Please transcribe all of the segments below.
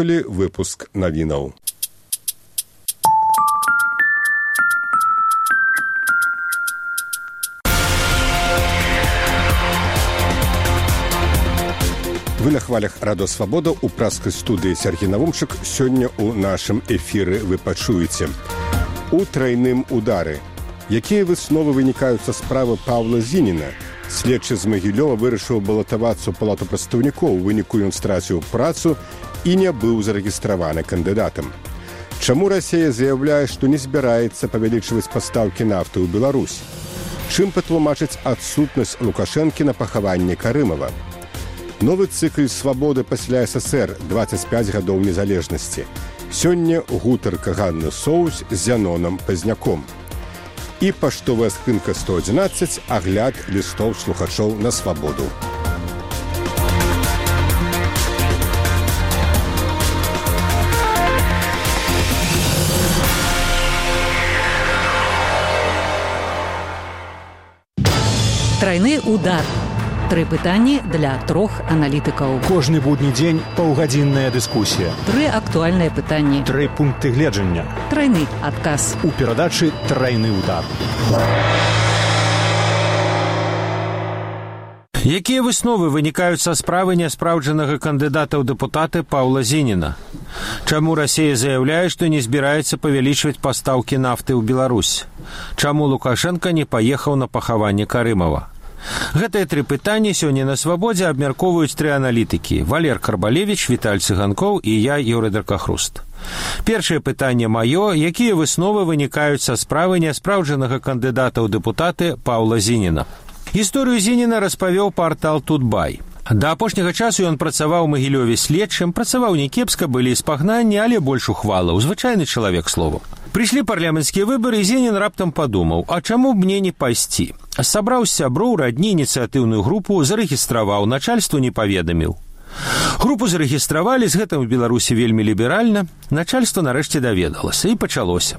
слухали выпуск навінаў. Вы на хвалях Радио Свобода у праскай студыі Сергей Навумчык. Сёння у нашым эфіры вы пачуеце у трайным удары. Якія высновы вынікаюць са справы Паўла Зініна? Следчы з Магілёва вырашыў балатавацца ў палату прадстаўнікоў. У выніку ён страціў працу і не быў зарэгістраваны кандыдатам. Чаму Расія заяўляе, што не збіраецца павялічваць пастаўкі нафты ў Беларусь? Чым патлумачыць адсутнасць Лукашэнкі на пахаванні Карымава? Новы цыкл «Свабоды пасля СССР» 25 гадоў незалежнасці. Сёння гутарка Ганны Соус з Зянонам Пазняком. І паштовая скрынка 111, агляд лістоў слухачоў на свабоду. Трайны удар. 3 пытанні для 3 аналітыкаў. Кожны будні дзень паўгадзінная дыскусія. 3 актуальныя пытанні. 3 пункты гледжання. Трайны адказ. У перадачы «Трайны удар». Якія высновы вынікаюць са справы няспраўджанага кандыдата ў дэпутаты Паўла Зініна? Чаму Расія заяўляе, што не збіраецца павялічваць пастаўкі нафты ў Беларусь? Чаму Лукашенка не паехаў на пахаванне Карымава? Гэтыя 3 пытанні сёння на свабодзе абмяркоўваюць 3 аналітыкі: Валер Карбалевіч, Віталь Цыганкоў і я, Юрый Даркахруст. Першае пытанне маё: якія высновы вынікаюць са справы няспраўджанага кандыдата ў дэпутаты Паўла Зініна? Гісторыю Зініна распавёў партал «Тутбай». Да апошняга часу ён працаваў у Магілёве следчым, працаваў някепска, былі спагнанні, але больш ухвалаў, звычайны чалавек словам. Прыйшлі парламенцкія выбары, і Зінін раптам падумаў: а чаму б мне не пайсці? Сабраў з сяброў, радні, ініцыятыўную групу, зарэгістраваў, начальству не паведаміў. Групу зарэгістравалі, з гэтым у Беларусі вельмі ліберальна. Начальства нарэшце даведалася, і пачалося.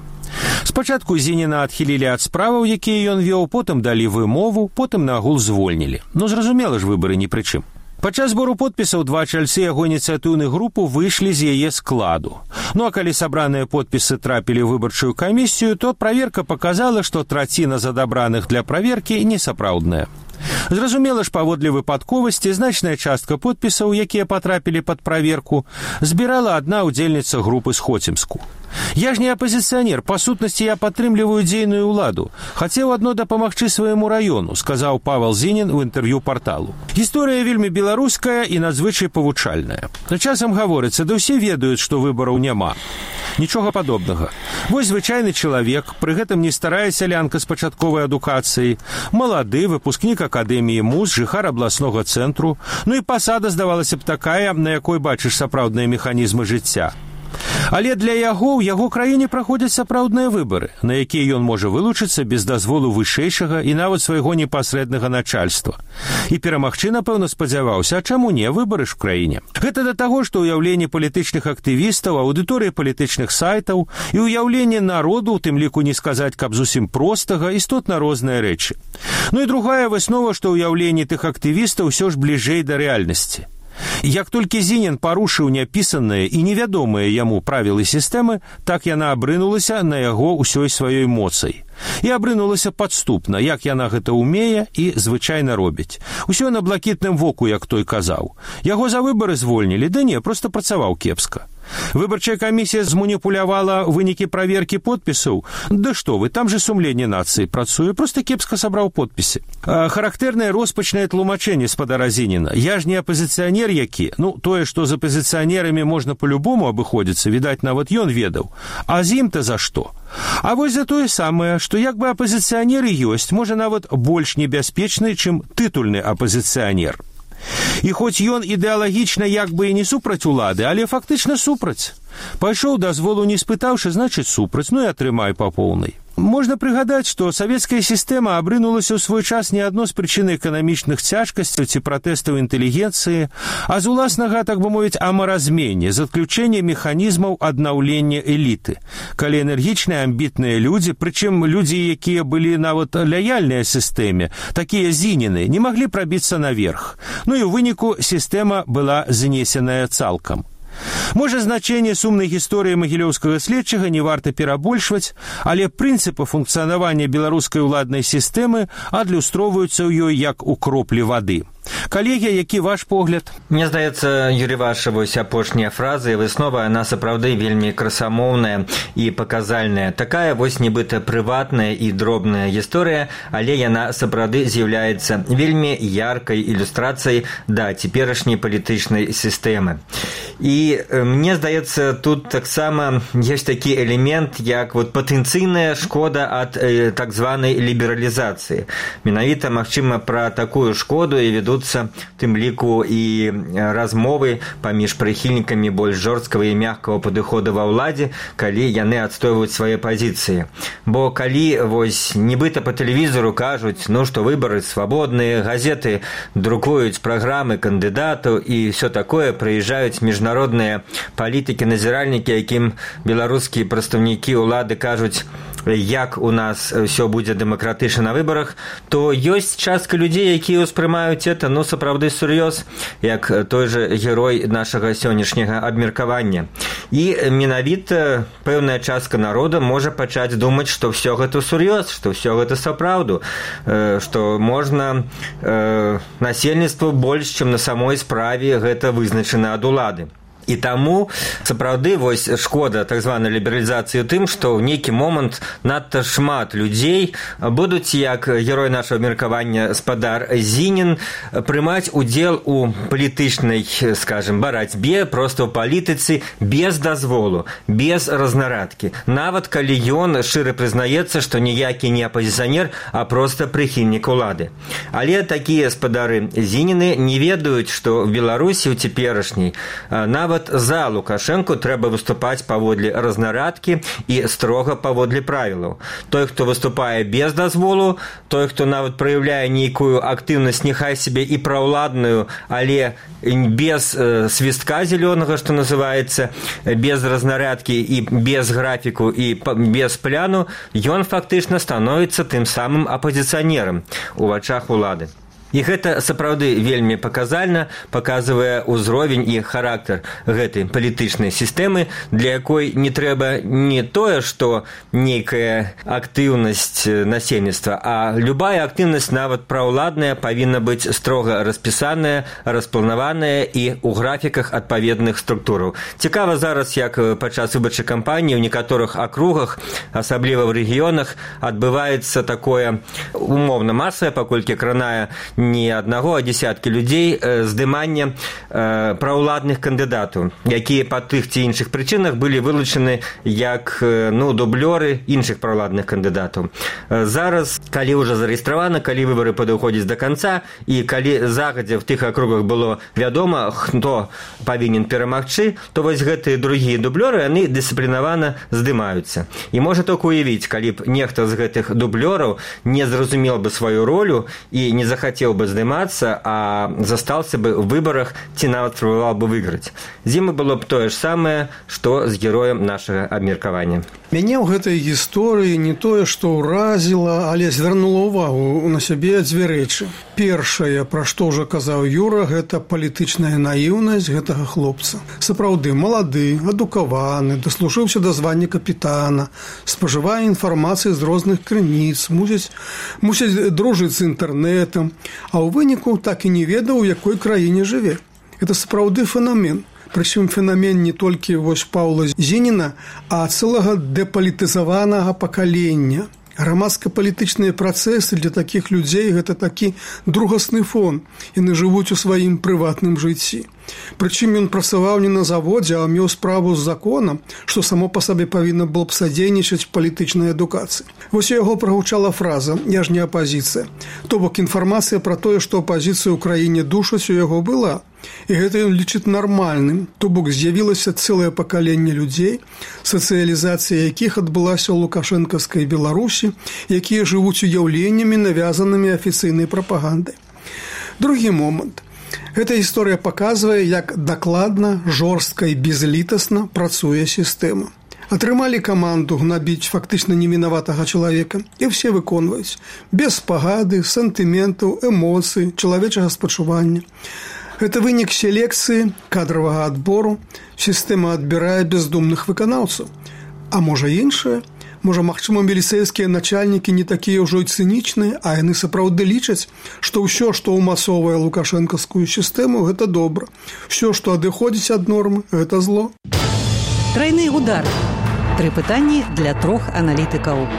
Спачатку Зініна адхілілі ад справаў, якія ён вёў, потым далі вымову, потым нагул звольнілі. Ну, зразумела ж, выбары ні пры чым. Падчас збору подпісаў 2 чальцы яго ініцыятыўных групу выйшлі з яе складу. Ну а калі сабраныя подпісы трапілі ў выбарчую камісію, то праверка паказала, што траціна з адабраных для праверкі несапраўдная. Зразумела ж, паводле выпадковасці, значная частка подпісаў, якія патрапілі пад праверку, збірала адна ўдзельніца групы з Хоцімску. Я ж не апазіцыянер, па сутнасці я падтрымліваю дзейную ўладу. Хацеў адно дапамагчы свайму раёну, сказаў Павел Зінін у інтэрв'ю парталу. Гісторыя вельмі беларуская і надзвычай павучальная. Часам гаворыцца, да ўсе ведаюць, што выбараў няма. Нічога падобнага. Вось звычайны чалавек, пры гэтым не старая сялянка з пачатковай адукацыяй, малады, выпускнік акадэміі МУЗ, жыхар абласнога цэнтру, ну і пасада, здавалася б, такая, на якой бачыш сапраўдныя механізмы жыцця. Але для яго ў яго краіне праходзяць сапраўдныя выбары, на якія ён можа вылучыцца без дазволу вышэйшага і нават свайго непасрэднага начальства. І перамагчы, напэўна, спадзяваўся, а чаму не, выбары ж у краіне. Гэта да таго, што ўяўленне палітычных актывістаў, аўдыторыя палітычных сайтаў і ўяўленне народу, у тым ліку не сказаць, каб зусім простага, істотна розныя рэчы. Ну і другая выснова, што ўяўленне тых актывістаў ўсё ж бліжэй да рэальнасці. Як толькі Зінін парушыў няпісаныя і невядомыя яму правілы сістэмы, так яна абрынулася на яго ўсёй сваёй моцай. І абрынулася падступна, як яна гэта ўмее і звычайна робіць. Усё на блакітным воку, як той казаў. Яго за выбары звольнілі, да не, проста працаваў кепска. Выбарчая камісія зманіпулявала вынікі праверкі подпісаў. Да што вы, там же сумленне нацыі працуе, проста кепска сабраў подпісы. Характэрнае роспачнае тлумачэнне спадара Зініна. Я ж не апазіцыянер які, ну, тое, што з апазіцыянерамі можна па-любому абыходзіцца, відаць, нават ён ведаў. А з ім-то за што? А вось за тое самае, што як бы апазіцыянеры ёсць, можа нават больш небяспечны, чым тытульны апазіцыянер. І хоць ён ідэалагічна як бы і не супраць улады, але фактычна супраць. Пайшоў дазволу не спытаўшы, значыць супраць, ну і атрымай па поўнай. Можна прыгадаць, што савецкая сістэма абрынулася ў свой час не адно з прычын эканамічных цяжкасцяў ці пратэстаў інтэлігенцыі, а з уласнага, так бы мовіць, амаразменне, з адключэння механізмаў аднаўлення эліты. Калі энергічныя, амбітныя людзі, прычым людзі, якія былі нават лаяльныя сістэме, такія Зініны, не маглі прабіцца наверх. Ну і ў выніку сістэма была знесеная цалкам. Можа, значэнне сумнай гісторыі магілёўскага следчага не варта перабольшваць, але прынцыпы функцыянавання беларускай уладнай сістэмы адлюстроўваюцца ў ёй як у кроплі вады. Калегі, які ваш погляд? Мне здаецца, Юрій, ваша вось апошняя фраза і выснова, яна сапраўды вельмі красамоўная і паказальная. Такая вось нібыта прыватная і дробная гісторыя, але яна сапраўды з'яўляецца вельмі яркай ілюстрацыяй да цяперашняй палітычнай сістэмы. І мне здаецца, тут таксама ёсць такі элемент, як вот патэнцыйная шкода ад так званай лібералізацыі. Менавіта, магчыма, пра такую шкоду і вядуцца тым ліку і размовы паміж прыхільнікамі больш жорсткага і мяккага падыходу ва ўладзе, калі яны адстойваюць свае пазіцыі. Бо калі вось нібыта па тэлевізору кажуць, што выбары свабодныя, газеты друкуюць праграмы кандыдатаў і ўсё такое, прыязджаюць міжнародныя палітыкі-назіральнікі, якім беларускія прадстаўнікі ўлады кажуць, як у нас все будзе дэмакратычна на выбарах, то ёсць частка людзей, якія ўспрымаюць это, сапраўды сур'ёз, як той жа герой нашага сённяшняга абмеркавання. І менавіта пэўная частка народа можа пачаць думаць, што ўсё гэта сур'ёз, што ўсё гэта сапраўду, што можна насельніцтву больш, чым на самой справе гэта вызначана ад улады. І таму, сапраўды, вось шкода так званай лібералізацыі ў тым, што ў нейкі момант надта шмат людзей будуць, як герой нашага меркавання спадар Зінін, прымаць удзел у палітычнай, скажем, барацьбе, проста ў палітыцы без дазволу, без разнарадкі. Нават калі ён шчыра прызнаецца, што ніякі не апазіцыянер, а проста прыхільнік улады. Але такія спадары Зініны не ведаюць, што в Беларусі ў цяперашняй нават за Лукашэнку трэба выступаць паводле разнарадкі і строга паводле правілаў. Той, хто выступае без дазволу, той, хто нават праяўляе нейкую актыўнасць, няхай сябе і праўладную, але без свістка зелёнага, што называецца, без разнарадкі і без графіку і без пляну, ён фактычна становіцца тым самым апазіцыянерам у вачах улады. І гэта сапраўды вельмі паказальна, паказвае ўзровень і характар гэтай палітычнай сістэмы, для якой не трэба не тое, што нейкая актыўнасць насельніцтва, а любая актыўнасць, нават праўладная, павінна быць строга распісаная, распланаваная і ў графіках адпаведных структураў. Цікава зараз, як падчас выбарчай кампаніі ў некаторых акругах, асабліва ў рэгіёнах, адбываецца такое умоўна масавае, паколькі кранае не аднаго, а дзесяткі людзей, здымання праўладных кандыдатаў, якія па тых ці іншых прычынах былі вылучаны як дублёры іншых праўладных кандыдатаў. Зараз, калі ўжо зарэгістравана, калі выбары падыходзяць да канца, і калі загадзя в тых акругах было вядома, хто павінен перамагчы, то вось гэтыя другія дублёры, яны дысцыплінавана здымаюцца. І можа толькі уявіць, калі б нехта з гэтых дублёраў не зразумел бы сваю ролю і не захацеў бы здымацца, а застаўся бы ў выбарах ці нават спрабаваў бы выйграць. З ім было б тое ж самае, што з героем нашага абмеркавання. Мяне ў гэтай гісторыі не тое, што ўразіла, але звярнула ўвагу на сябе дзве рэчы. Першае, пра што ўжо казаў Юра, гэта палітычная наіўнасць гэтага хлопца. Сапраўды, малады, адукаваны, даслужыўся да звання капітана, спажывае інфармацыю з розных крыніц, мусіць дружыць з інтэрнэтам, а ў выніку так і не ведаў, у якой краіне жыве. Гэта сапраўды феномен. Прычым феномен не толькі вось Паўла Зініна, а цэлага дэпалітызаванага пакалення. Грамадска-палітычныя працэсы для такіх людзей – гэта такі другасны фон. Яны жывуць у сваім прыватным жыцці. Прычым ён працаваў не на заводзе, а меў справу з законам, што само па сабе павінна было б садзейнічаць палітычнай адукацыі. Вось у яго прагучала фраза «Я ж не апазіцыя». То бок інфармацыя пра тое, што апазіцыя ў краіне душаць, у яго была. І гэта ён лічыць нармальным, то бок з'явілася цэлае пакаленне людзей, сацыялізацыя якіх адбылася ў лукашэнкаўскай Беларусі, якія жывуць уяўленнямі, навязанымі афіцыйнай прапагандай. Другі момант. Эта гісторыя паказвае, як дакладна, жорстка і безлітасна працуе сістэма. Атрымалі каманду гнабіць фактычна невінаватага чалавека, і ўсе выконваюць. Без спагады, сантыментаў, эмоцый, чалавечага спачування. Гэта вынік селекцыі, кадравага адбору. Сістэма адбірае бездумных выканаўцаў. А можа іншае? Можа, магчыма, міліцэйскія начальнікі не такія ўжо і цынічныя, а яны сапраўды лічаць, што ўсё, што ўмасоўвае лукашэнкаўскую сістэму, гэта добра. Усё, што адыходзіць ад нормы, гэта зло. Трайны удар. 3 пытанні для 3 аналітыкаў.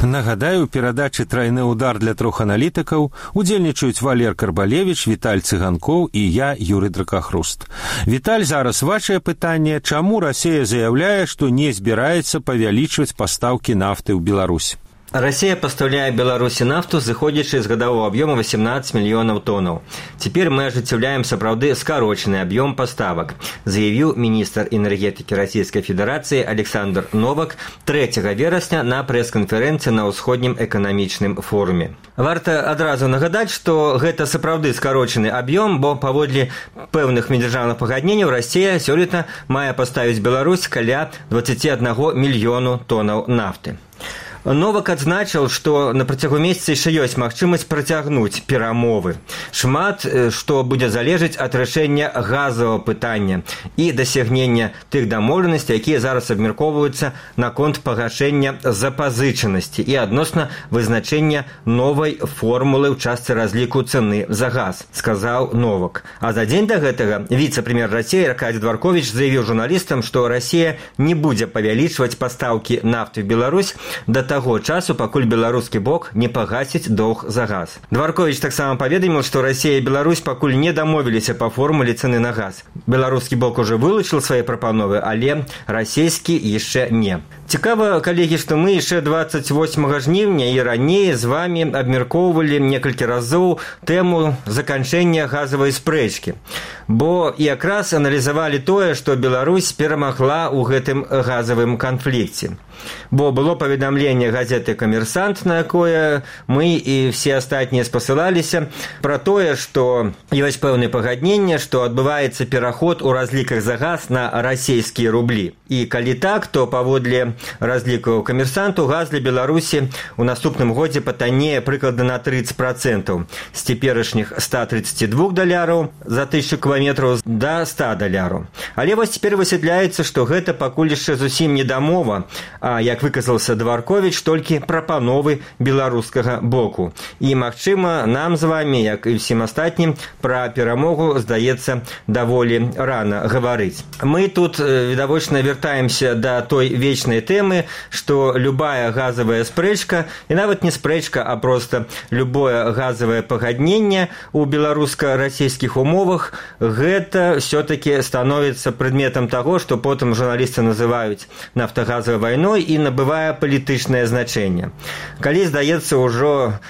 Нагадаю, у перадачы «Трайны удар» для 3 аналітыкаў удзельнічаюць Валер Карбалевіч, Віталь Цыганкоў і я, Юрый Дракахруст. Віталь, зараз вашае пытанне. Чаму Расія заяўляе, што не збіраецца павялічваць пастаўкі нафты ў Беларусь? Россия поставляет Беларуси нафту, зыходзячы з гадового объема 18 миллионов тонн. Теперь мы ажыццяўляем сапраўды скарочаны объем поставок, заявил министр энергетики Российской Федерации Александр Новак 3 верасня на пресс-конференции на Ўсходнім эканамічным форуме. Варта адразу нагадаць, што гэта сапраўды скарочаны аб'ём, бо паводле пэўных міждзяржаўных пагадненняў Расія сёлета мае паставіць Беларусь каля 21 мільёну тоннаў нафты. Новак адзначыў, што на працягу месяца яшчэ ёсць магчымасць працягнуць перамовы. Шмат што будзе залежаць ад рашэння газавага пытання і дасягнення тых дамоўленасцей, якія зараз абмяркоўваюцца наконт пагашэння запазычанасці і адносна вызначэння новай формулы ў частцы разліку цэны за газ, сказаў Новак. А за дзень да гэтага віцэ-прэм'ер Расіі Аркадзій Дварковіч заявіў журналістам, што Расія не будзе павялічваць пастаўкі нафты ў Беларусь да таго часу, пакуль беларускі бок не пагасіць доўг за газ. Дварковіч таксама паведаміў, што Расія і Беларусь пакуль не дамовіліся па формуле цэны на газ. Беларускі бок ужо вылучыў свае прапановы, але расійскі яшчэ не. Цікава, калегі, што мы яшчэ 28 жніўня і раней з вамі абмяркоўвалі некалькі разоў тэму заканчэння газавай спрэчкі. Бо якраз аналізавалі тое, што Беларусь перамагла ў гэтым газавым канфлікце. Бо было паведамленне газеты «Камерсант», на якое мы і все астатнія спасылаліся, пра тое, што ёсць пэўнае пагадненне, што адбываецца пераход у разліках за газ на расійскія рублі. І калі так, то паводле разлікаў «Камерсанту» газ для Беларусі ў наступным годзе патаннее прыкладна на 30%, з цяперашніх $132 за 1000 кіламетраў да $100. Але вось цяпер высвятляецца, што гэта пакуль яшчэ зусім не дамова, а, як выказаўся Дварковіч, толькі прапановы беларускага боку. І, магчыма, нам з вамі, як і ўсім астатнім, пра перамогу, здаецца, даволі рана гаварыць. Мы тут, відавочна, вяртаемся да той вечнай тэмы, што любая газавая спрэчка, і нават не спрэчка, а проста любое газавае пагадненне ў беларуска-расійскіх умовах, гэта ўсё-такі становіцца прадметам таго, што потым журналісты называюць нафтагазавай вайной і набывае палітычнае значэнне. Калі, здаецца, ўжо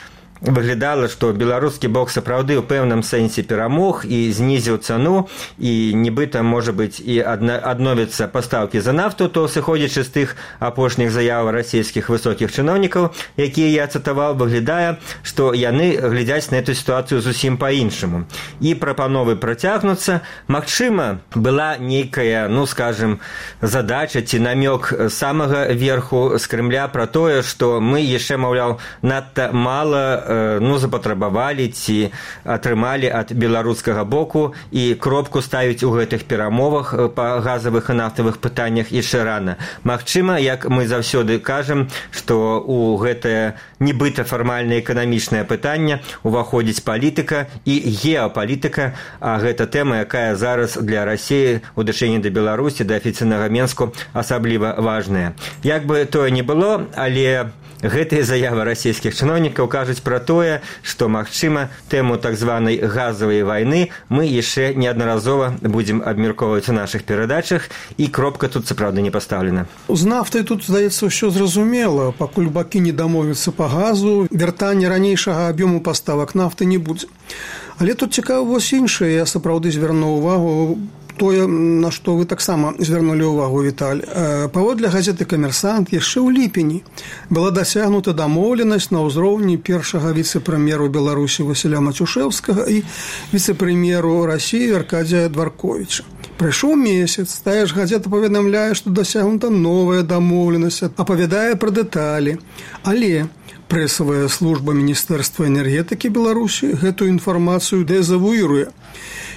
выглядала, што беларускі бок сапраўды ў пэўным сэнсе перамог і знізіў цану, і нібыта, можа быць, і адновяцца пастаўкі за нафту, то, сыходзячы з тых апошніх заяў расійскіх высокіх чыноўнікаў, якія я цытаваў, выглядае, што яны глядзяць на эту сітуацыю зусім па-іншаму. І прапановы працягнуцца. Магчыма, была нейкая, скажем, задача ці намёк самага верху з Крымля пра тое, што мы яшчэ, маўляў, надта мала запатрабавалі ці атрымалі ад беларускага боку, і кропку ставіць у гэтых перамовах па газавых і нафтавых пытаннях яшчэ рана. Магчыма, як мы заўсёды кажам, што ў гэтае нібыта фармальнае эканамічнае пытанне уваходзіць палітыка і геапалітыка, а гэта тэма, якая зараз для Расіі ў дачыненні да Беларусі, да афіцыйнага Менску асабліва важная. Як бы тое не было, але гэтыя заявы расійскіх чыноўнікаў кажуць пра тое, што, магчыма, тэму так званай газавай вайны мы яшчэ неаднаразова будзем абмяркоўваць у нашых перадачах, і кропка тут, сапраўды, не пастаўлена. З нафтай тут, здаецца, ўсё зразумела. Пакуль бакі не дамовяцца па газу, вяртання ранейшага аб'ёму паставак нафты не будзе. Але тут цікава вось іншае. Я сапраўды звярнуў увагу тое, на што вы таксама звярнулі ўвагу, Віталь. Паводле газеты «Камерсант» яшчэ ў ліпені была дасягнута дамоўленасць на ўзроўні першага віцэ-прэм'еру Беларусі Васіля Мацюшэўскага і віцэ-прэм'еру Расіі Аркадзія Дварковіча. Прайшоў месяц, тая ж газета паведамляе, што дасягнута новая дамоўленасць, апавядае пра дэталі. Але Прэсавая служба Міністэрства энергетыкі Беларусі гэтую інфармацыю дэзавуіруе.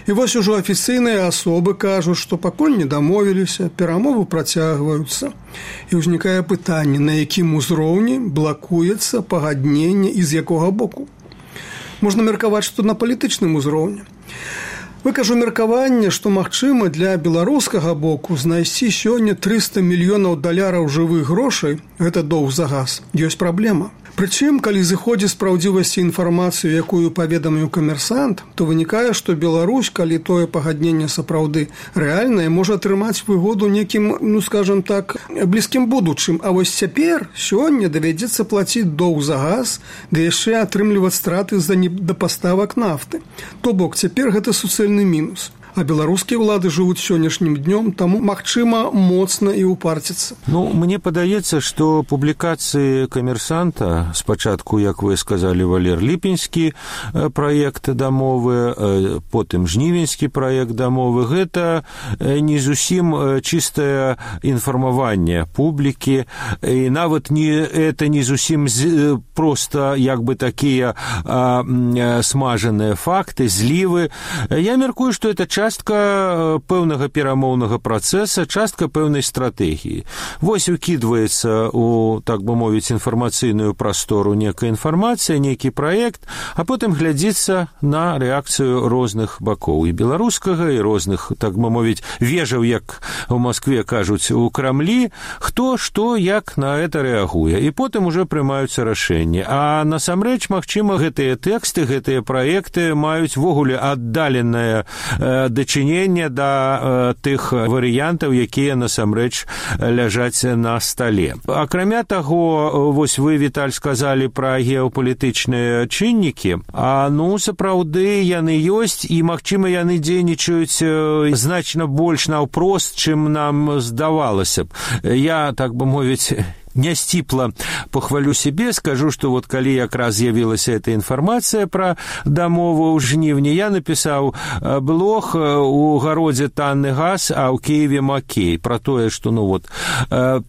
І вось ужо афіцыйныя асобы кажуць, што пакуль не дамовіліся, перамовы працягваюцца. І ўзнікае пытанне, на якім узроўні блакуецца пагадненне і з якога боку. Можна меркаваць, што на палітычным узроўні. Выкажу меркаванне, што магчыма для беларускага боку знайсці сёння $300 мільёнаў жывых грошай, гэта доўг за газ, ёсць праблема. Прычым, калі зыходзіць з праўдзівасці інфармацыю, якую паведаміў камерсант, то вынікае, што Беларусь, калі тое пагадненне сапраўды рэальнае, можа атрымаць выгоду некім, скажам так, блізкім будучым. А вось цяпер, сёння давядзецца плаціць доўг за газ, да яшчэ атрымліваць страты з-за недапаставак нафты. То бок, цяпер гэта суцэльны мінус. А беларускія ўлады жывуць сённяшнім днём, таму магчыма моцна і упарціцца. Мне падаецца, што публікацыі камерсанта, спачатку, як вы сказалі, Валер, ліпеньскі праект дамовы, потым жнівеньскі праект дамовы, гэта не зусім чыстае інфармаванне публікі, і нават это не зусім проста як бы такія смажаныя факты, злівы. Я мяркую, што это частка пэўнага перамоўнага працэса, частка пэўнай стратэгіі. Вось укідваецца у, так бы мовіць, інфармацыйную прастору некая інфармацыя, нейкі праект, а потым глядзіцца на рэакцыю розных бакоў, і беларускага, і розных, так бы мовіць, вежаў, як у Маскве кажуць, у Крамлі, хто, што, як на это рэагуе. І потым ужо прымаюцца рашэнні. А насамрэч, магчыма, гэтыя тэксты, гэтыя праекты маюць ввогуле аддаленае дачынення да тых варыянтаў, якія насамрэч ляжаць на стале. Акрамя таго, вось вы, Віталь, сказалі пра геапалітычныя чыннікі, сапраўды яны ёсць, і, магчыма, яны дзейнічаюць значна больш наўпрост, чым нам здавалася б. Я, так бы мовіць, нясціпла похвалю себе, скажу, что вот калі якраз з'явілася эта інфармацыя пра дамову ў жніўні, я напісаў блог у гародзе танны газ, а ў Киеве макей, пра тое, што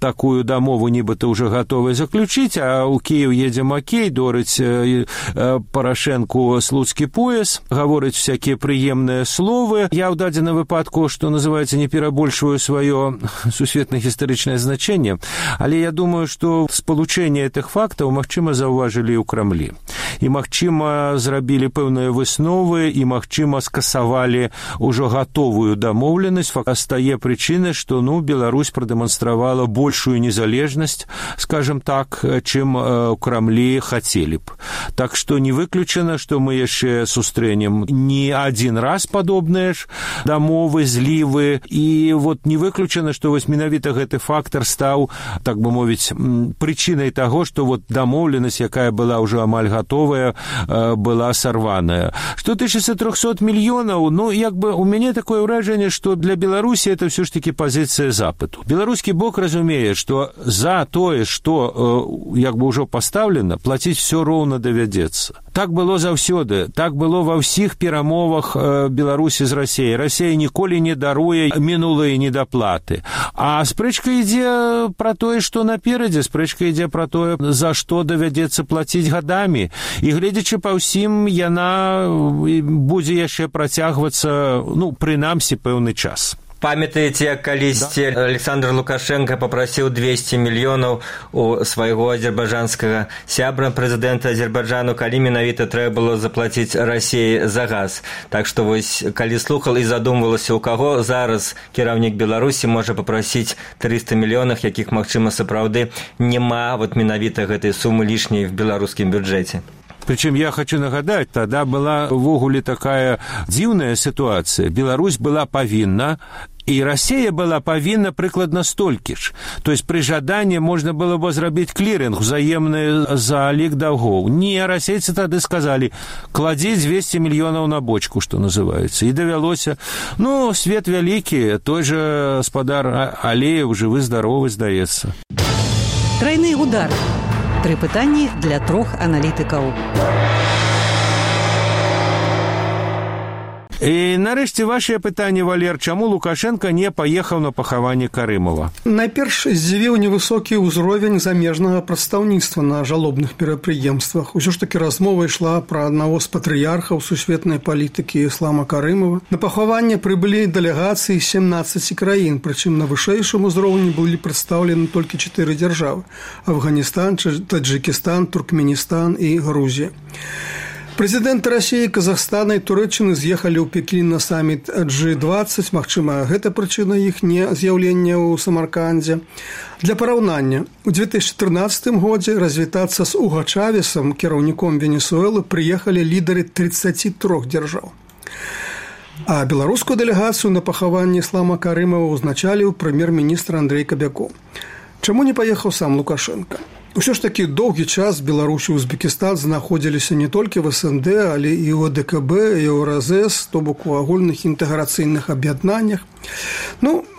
такую дамову нібыта ўжо гатовы заключыць, а ў Киев едзе макей, дорыць Парашэнку слуцкі пояс, гаворыць всякія прыемныя словы. Я ў дадзеным выпадку, што называецца, не перабольшваю сваё сусветна-гістарычнае значэнне, але я думаю, што спалучэнне гэтых фактаў, магчыма, заўважылі ў Крамлі. І, магчыма, зрабілі пэўныя высновы, і, магчыма, скасавалі ўжо гатовую дамоўленасць. Стае прычына, што, Беларусь прадэманстравала большую незалежнасць, скажем так, чым у Крамлі хацелі б. Так што не выключана, што мы яшчэ сустрэнем не адзін раз падобныя ж дамовы, злівы, і не выключана, што менавіта гэты фактар стаў, так бы мовіць, прычынай таго, што дамоўленасць, якая была ўжо амаль гатовая, была сарваная. Што тычыцца 300 мільёнаў, у мяне такое ўражанне, што для Беларусі это ўсё ж такі пазіцыя запыту. Беларускі бок разумее, што за тое, што ўжо пастаўлена, плаціць все роўна давядзецца. Так было заўсёды, так было ва ўсіх перамовах Беларусі з Расіяй. Расія ніколі не даруе мінулыя недаплаты. А спрэчка ідзе пра тое, што наперадзе, спрэчка ідзе пра тое, за што давядзецца плаціць гадамі. І гледзячы па ўсім, яна будзе яшчэ працягвацца, прынамсі, пэўны час. Памятаеце, калісьці Александр Лукашенко папрасіў 200 мільёнаў у свайго азербайджанскага сябра, прэзідэнта Азербайджану, калі менавіта трэба было заплаціць Расіі за газ. Так што калі слухал і задумвалася, у каго зараз кіраўнік Беларусі можа папрасіць 300 мільёнаў, якіх, магчыма, сапраўды няма менавіта гэтай сумы лішняй в беларускім бюджэце. Причем я хочу нагадать, тогда была ввогуле такая дзіўная ситуация. Беларусь была павінна, и Россия была павінна прыкладна столькі ж. То есть при жадании можно было бы зрабіць кліринг, взаемный залік даўгоў. Не, расейцы тады сказали, кладзі 200 мільёнаў на бочку, что называется. И давялося, свет вялікі, той же гаспадар Алеев, жывы-здаровы, здаецца. Тройны удар. 3 пытанні для 3 аналітыкаў. І нарэшце вашее пытанне, Валер, чаму Лукашенко не паехаў на пахаванне Карымова? Найперш здзівіў невысокі ўзровень замежнага прадстаўніцтва на жалобных мерапрыемствах. Усё ж такі размова ішла пра аднаго з патрыярхаў сусветнай палітыкі Іслама Карымова. На пахаванне прыбылі дэлегацыі 17 краін, прычым на вышэйшым узроўні былі прадстаўлены толькі 4 дзяржавы: Афганістан, Таджикістан, Туркменістан і Грузія. Прэзідэнты Расіі, Казахстана і Турэччыны з'ехалі ў Пекін на саміт G20, магчыма, гэта прычына іх не з'яўлення ў Самаркандзе. Для параўнання, у 2013 годзе развітацца з Уго Чавесам, кіраўніком Венесуэлы, прыехалі лідары 33 дзяржаў. А беларускую дэлегацыю на пахаванне Іслама Карымова узначаліў прэм'ер-міністр Андрэй Кабякоў. Чаму не паехаў сам Лукашенко? Усё ж такі доўгі час Беларусь і Узбекістан знаходзіліся не толькі в СНД, але і ў АДКБ, і ў РЗС, то бок у агульных інтэграцыйных аб'яднаннях.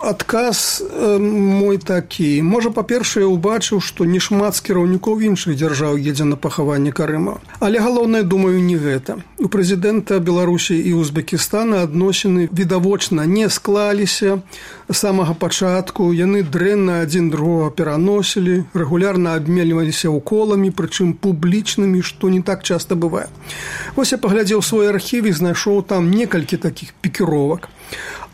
Адказ мой такі. Можа, па-першае, убачыў, што нешмат з кіраўнікоў іншых дзяржаў едзе на пахаванне Карымова. Але галоўнае, думаю, не гэта. У прэзідэнта Беларусі і Узбекістана адносіны відавочна не склаліся з самага пачатку. Яны дрэнна адзін другога пераносілі, рэгулярна абменьваліся уколамі, прычым публічнымі, што не так часта бывае. Вось я паглядзеў свой архів і знайшоў там некалькі такіх пікіровак.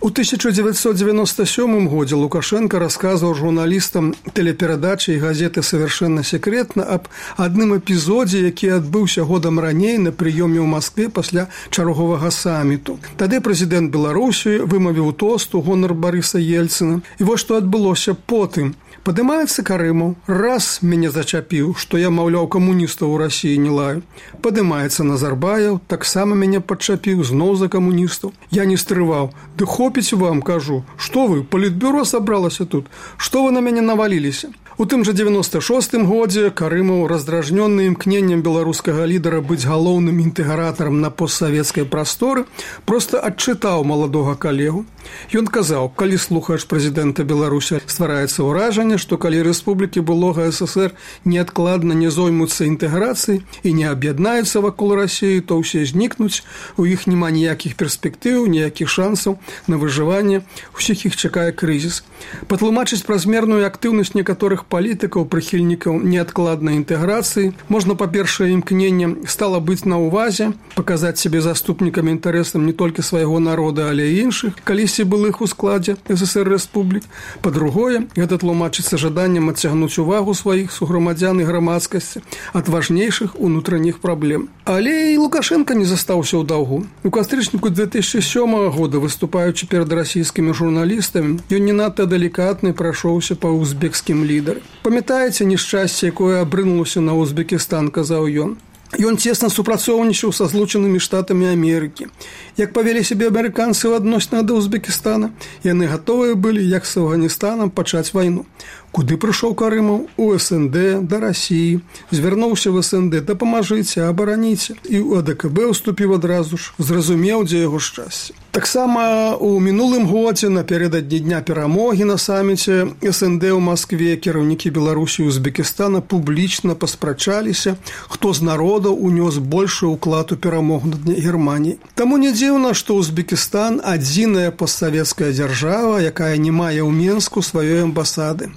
У 1997 годзе Лукашенко расказваў журналістам тэлеперадачы і газеты «Совершенно секретно» аб адным эпізодзе, які адбыўся годам раней на прыёме ў Маскве пасля чарговага саміту. Тады прэзідэнт Беларусі вымавіў тост у гонар Барыса Ельцына. І вось што адбылося потым. Падымаецца Карымаў, раз мяне зачапіў, што я, маўляў, камуністаў у Расіі не лаю. Падымаецца Назарбаев, таксама мяне падчапіў, зноў за камуністаў. Я не стрываў. Ды хопіць вам, кажу, што вы, палітбюро сабралася тут? Што вы на мяне наваліліся? У тым жа 96-м годзе Карымаў, раздражнённы імкненнем беларускага лідара быць галоўным інтэгратарам на постсавецкай прасторы, проста адчытаў маладога калегу. Ён казаў, калі слухаеш прэзідэнта Беларусі, ствараецца ўражанне, што калі рэспублікі былога ССР неадкладна не зоймуцца інтэграцыяй і не аб'яднаюцца вакол Расіі, то ўсе знікнуць, у іх няма ніякіх перспектыў, ніякіх шансаў на выжыванне, усіх іх чакае крызіс. Патлумачыць празмерную актыўнасць некаторых палітыкаў, прыхільнікаў неадкладнай інтэграцыі можна, па-першае, імкненнем стала быць на ўвазе, паказаць сябе заступнікам інтарэсам не толькі свайго народа, але і іншых, калісьці былых у складзе ССР рэспублік. Па-другое, гэта тлумачыцца жаданнем адцягнуць увагу сваіх суграмадзян і грамадскасці ад важнейшых унутраных праблем. Але і Лукашенко не застаўся ў даўгу. У кастрычніку 2007 года, выступаючы перад расійскімі журналістамі, ён не надта далікатны прайшоўся па узбекскім лідарам. Памятаеце нешчасце, якое абрынулася на Узбекістан, казаў ён? Ён цесна супрацоўнічаў са Злучанымі Штатамі Амерыкі. Як павялі сябе амерыканцы ў адносінах да Узбекістана, яны гатовыя былі, як з Афганістанам, пачаць вайну. Куды прыйшоў Карымаў? У СНД, да Расіі. Звярнуўся в СНД, дапамажыце, абараніце. І ў АДКБ уступіў адразу ж, зразумеў, дзе яго шчасце. Таксама у мінулым годзе, напярэдадні Дня перамогі на саміце СНД ў Маскве, кіраўнікі Беларусі і Узбекістана публічна паспрачаліся, хто з народаў унёс большы ўклад у перамогу над Германіяй. Таму не дзіўна, што Узбекістан адзіная постсавецкая дзяржава, якая не мае ў Менску сваёй амбасады.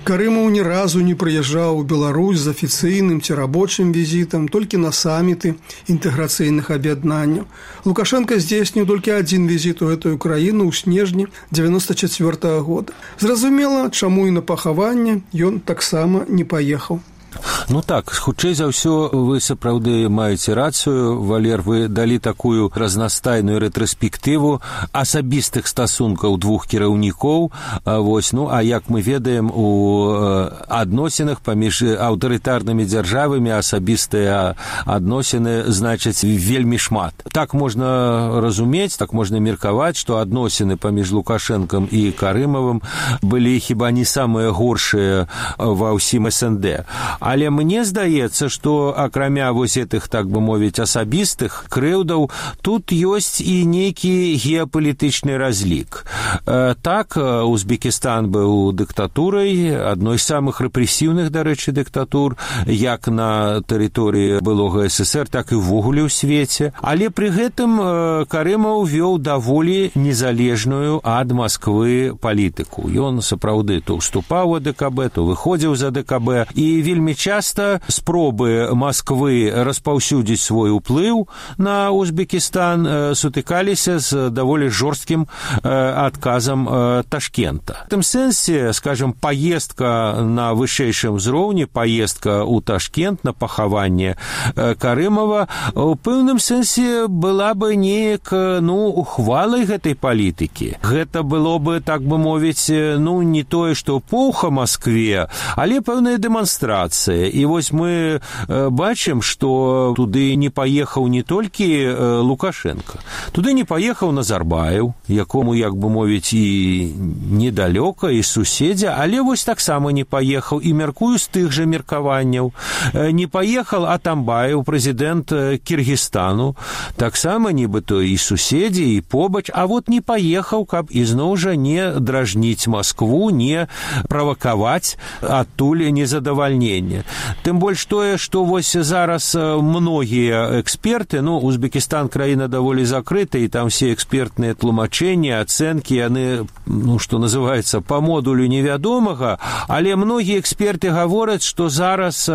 Карымаў ні разу не прыязджаў у Беларусь з афіцыйным ці рабочым візітам, толькі на саміты інтэграцыйных аб'яднанняў. Лукашенко здзейсніў толькі адзін візіт у гэтую краіну ў снежні 1994 года. Зразумела, чаму і на пахаванне ён таксама не паехаў. Ну так, хутчэй за ўсё вы сапраўды маеце рацыю, Валер, вы далі такую разнастайную рэтраспектыву асабістых стасункаў двух кіраўнікоў. Вось, ну, а як мы ведаем, у адносінах паміж аўтарытарнымі дзяржавамі асабістыя адносіны значаць вельмі шмат. Так можна разумець, так можна меркаваць, што адносіны паміж Лукашэнкам і Карымавым былі хіба не самыя горшыя ва ўсім СНД. Але мне здаецца, што акрамя вось гэтых, так бы мовіць, асабістых крыўдаў, тут ёсць і нейкі геапалітычны разлік. Так, Узбекістан быў дыктатурай, адной з самых рэпрэсіўных, дарэчы, дыктатур, як на тэрыторыі былога СССР, так і ўвогуле ў свеце. Але пры гэтым Карымаў вёў даволі незалежную ад Масквы палітыку. Ён сапраўды то ўступаў у ДКБ, то выходзіў за ДКБ, і вельмі часта спробы Масквы распаўсюдзіць свой уплыў на Узбекістан сутыкаліся з даволі жорсткім адказам Ташкента. В этом сэнсе, скажем, поездка на вышэйшым узроўні, поездка ў Ташкент на пахаванне Карымова у пэўным сэнсе была бы неяк, ухвалай гэтай палітыкі. Гэта было бы, так бы мовіць, не тое, што пуха Маскве, але пэўная дэманстрацыя. І вось мы бачым, што туды не паехаў не толькі Лукашенко, туды не паехаў Назарбаев, якому, як бы мовіць, і недалёка, і суседзя, але вось таксама не паехаў, і мяркую з тых жа меркаванняў. Не паехаў Атамбаев, прэзідэнт Кіргізстану, таксама нібыто і суседзі, і побач, а вот не паехаў, каб ізноў жа не дражніць Маскву, не правакаваць адтуль незадавальнення. Тым больш тое, што вось зараз многія эксперты, Узбекістан краіна даволі закрыта, і там все экспертныя тлумачэнні, ацэнкі, яны, што называецца, па модулю невядомага, але многія эксперты гавораць, што зараз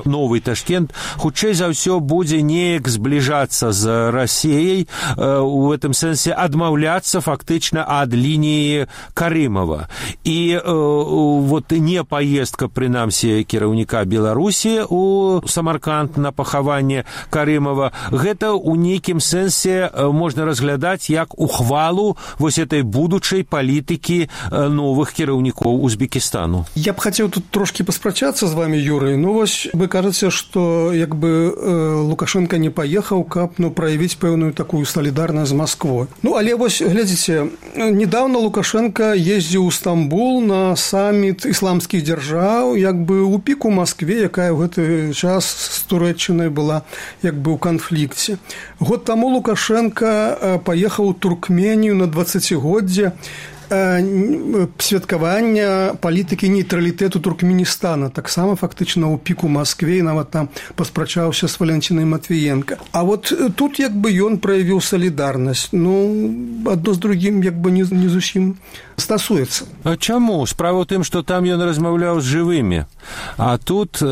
новы Ташкент хутчэй за ўсё будзе неяк збліжацца з Расіяй, у этом сэнсе адмаўляцца фактычна ад лініі Карымова. І вот не паездка, прынамсі, кіраўніка Беларусі у Самарканд на пахаванне Карымова, гэта ў нейкім сэнсе можна разглядаць як ухвалу вось этой будучай палітыкі новых кіраўнікоў Узбекістану. Я б хацеў тут трошкі паспрачацца з вами, Юрый. Вось вы кажаце, што як бы Лукашенко не паехаў, каб праявіць пэўную такую салідарнасць з Масквой. Але вось, глядзіце, недавно Лукашенко ездзіў у Стамбул на саміт ісламскіх дзяржаў, як бы у піку Маскве, якая ў гэты час з Турэччынай была як бы ў канфлікце. Год таму Лукашенко паехаў у Туркменію на 20-годдзе святкавання палітыкі нейтралітэту Туркменістана, таксама фактычна ў піку Маскве, і нават там паспрачаўся з Валянцінай Матвіенка. А вот тут як бы ён праявіў салідарнасць. Адно з другім як бы не зусім стасуецца. А чаму? Справа ў тым, што там ён размаўляў з жывымі. А тут,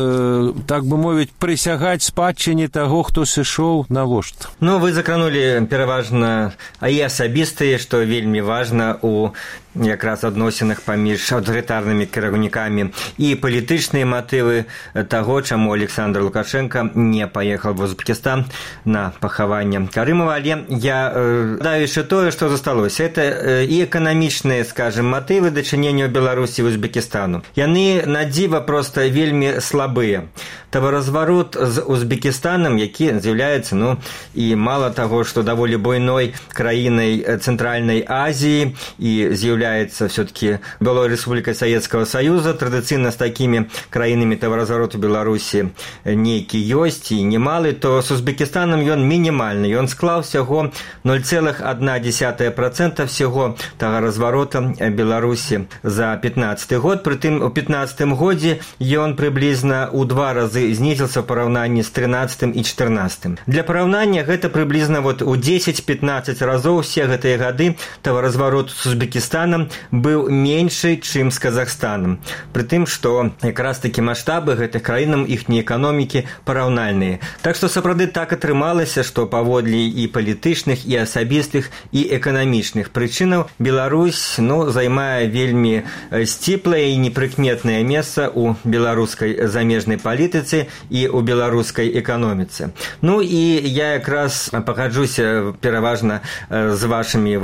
так бы мовіць, прысягаць спадчыне таго, хто сышоў, навошта? Вы закранулі пераважна і асабістыя, што вельмі важна у якраз адносінах паміж аўтарытарнымі кіраўнікамі, і палітычныя матывы таго, чаму Александр Лукашенко не паехаў в Узбекістан на пахаванне Карымова. Але я даю яшчэ тое, што засталося. Это і эканамічныя, скажем, матывы дачынення Беларусі і Узбекістану. Яны на дзіва проста вельмі слабыя. Таваразварот з Узбекістанам, які з'яўляецца, і мала таго, што даволі буйной краінай Цэнтральнай Азіі і з'яўляецца все-таки былой рэспублікай Савецкага Саюза, традыцыйна з такімі краінамі таваразварот у Беларусі нейкі ёсць і немалы, то з Узбекістанам ён мінімальны. Ён склаў всяго 0,1% всего таваразварота Беларусі за 15 год. Прытым у 15 годзе ён прыблізна ў 2 разы знізіўся ў параўнанні з 13 і 14. Для параўнання гэта прыблізна у 10-15 разоў все гэтыя гады таваразварот з Узбекістанам быў меншы, чым з Казахстанам. Пры тым, што якраз такі маштабы гэтых краінаў, іхнія эканомікі параўнальныя. Так што сапраўды так атрымалася, што паводле і палітычных, і асабістых, і эканамічных прычынаў Беларусь займае вельмі сціплае і непрыкметнае месца ў беларускай замежнай палітыцы і ў беларускай эканоміцы. І я якраз пагаджуся пераважна з вашымі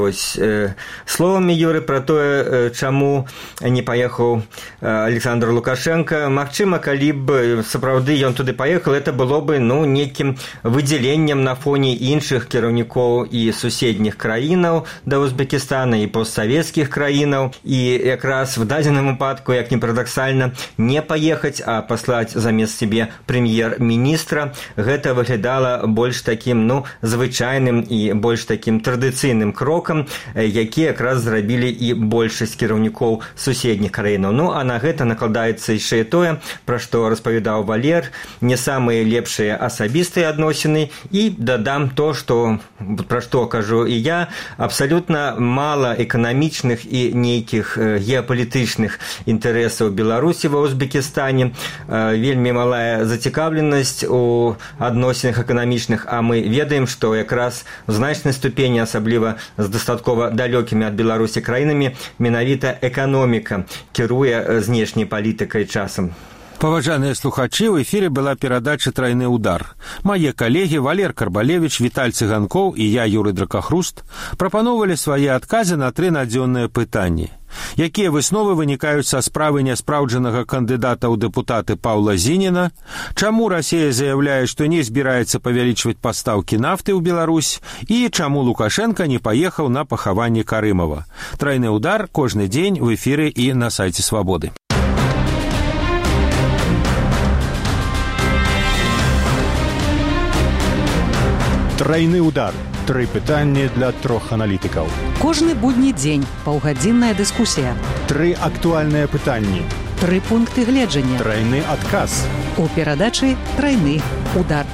словамі, Юры, пра тое, чаму не паехаў Александр Лукашенко. Магчыма, калі б сапраўды ён туды паехаў, это было бы нейкім выдзяленнем на фоне іншых кіраўнікоў і суседніх краінаў да Узбекістана і постсавецкіх краінаў. І якраз в дадзеным выпадку, як не парадаксальна, не паехаць, а паслаць замест сябе прэм'ер-міністра, гэта выглядала больш такім звычайным і больш такім традыцыйным крокам, які якраз зрабіў зрабілі і большасць кіраўнікоў суседніх краінаў. Ну, а на гэта накладаецца яшчэ тое, пра што распавядаў Валер, не самыя лепшыя асабістыя адносіны, і дадам то, што, пра што кажу і я, абсалютна мала эканамічных і нейкіх геапалітычных інтарэсаў Беларусі ва Узбекістане, вельмі малая зацікаўленасць у адносінах эканамічных, а мы ведаем, што якраз в значнай ступені, асабліва з дастаткова далёкімі ад Беларусі краінамі, менавіта эканоміка кіруе знешняй палітыкай часам. Паважаныя слухачы, ў эфіры была перадача «Трайны удар». Мае калегі Валер Карбалевіч, Віталь Цыганкоў і я, Юрый Дракахруст, прапановалі свае адказы на 3 надзённыя пытанні. Якія высновы вынікаюць са справы няспраўджанага кандыдата ў дэпутаты Паўла Зініна? Чаму Расія заяўляе, што не збіраецца павялічваць пастаўкі нафты ў Беларусь? І чаму Лукашенко не паехаў на пахаванне Карымова? «Трайны удар» кожны дзень у эфіры і на сайце «Свабоды». Трайны удар. 3 пытанні для 3 аналітыкаў. Кожны будні дзень паўгадзінная дыскусія. 3 актуальныя пытанні. 3 пункты гледжання. Трайны адказ. У перадачы «Трайны удар».